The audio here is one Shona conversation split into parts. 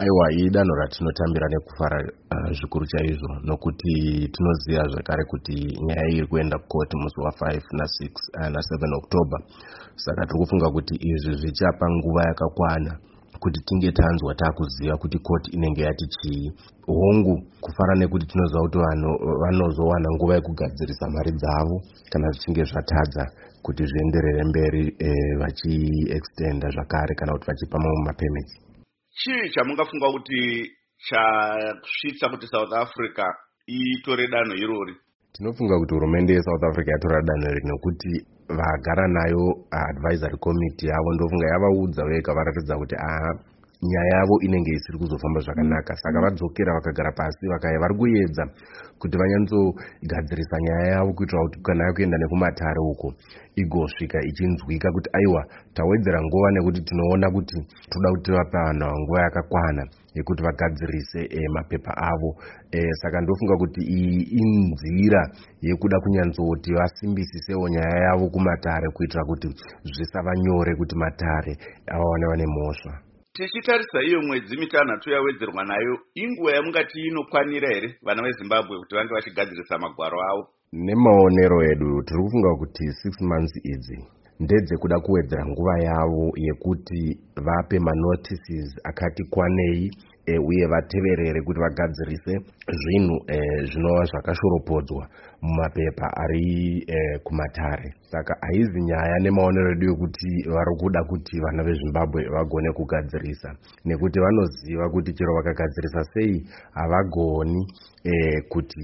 Aiwa, idanho ratinotambira nekufara zvikuru chaizvo, nokuti tinoziva zvakare kuti nyaya iri kuenda kukoti musi wa5 na6 na7 October. Saka tiri kufunga kuti izvi zvichapa nguva yakakwana kuti tinge tanzwa, taakuziva kuti koti inenge yati chii. Hongu, kufara nekuti tinoziva kuti vanhu vanozowana nguva yekugadzirisa mari dzavo kana zvichinge zvatadza kuti zvienderere mberi, vachiextenda zvakare kana kuti vachipa mamwe mapermits. Chii chamungafunga kuti chasvitsa kuti South Africa itore danho irori? Tinofunga kuti hurumende yeSouth Africa yatora danho iri nekuti vagara nayo advisory committee yavo, ndofunga yavaudza vega, varatidza kuti aha, nyaya yavo inenge isiri kuzofamba zvakanaka. Saka vadzokera, vakagara pasi, vakaya vari kuedza kuti vanyanzogadzirisa nyaya yavo kuitira kuti kana yakuenda nekumatare uko igosvika ichinzwika kuti aiwa, tawedzera nguva nekuti tinoona kuti toda kuti tivape vanhu ava nguva yakakwana yekuti vagadzirise mapepa avo. Saka ndofunga kuti iyi inzira yekuda kunyanzoti vasimbisisewo nyaya yavo kumatare kuitira kuti zvisava nyore kuti matare avawane vane mhosva. Tichitarisa iyo mwedzi 6 yawedzerwa nayo, inguva yamungati inokwanira here vana veZimbabwe kuti vange vachigadzirisa magwaro avo? Nemaonero edu, tiri kufunga kuti 6 months idzi ndedzekuda kuwedzera nguva yavo yekuti vape manotices akati kwanei, uye vateverere kuti vagadzirise zvinhu zvinova zvakashoropodzwa mumapepa ari kumatare. Saka haizi nyaya, nemaonero edu, yekuti vari kuda kuti vana veZimbabwe vagone kugadzirisa, nekuti vanoziva kuti chero vakagadzirisa sei havagoni kuti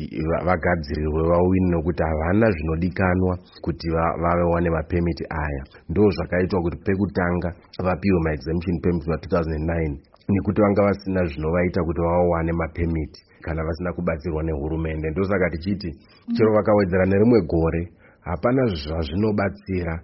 vagadzirirwe vawini, nokuti havana zvinodikanwa kuti vawane mapemiti aya. Ndo zvakaitwa kuti pekutanga vapiwe maexemption permit ma2009, nekuti vanga vasina zvinovaita kuti vawane mapemiti kana vasina kubatsirwa nehurumende. Ndosaka tichiti chero vakawedzera nerimwe gore, hapana zvazvinobatsira.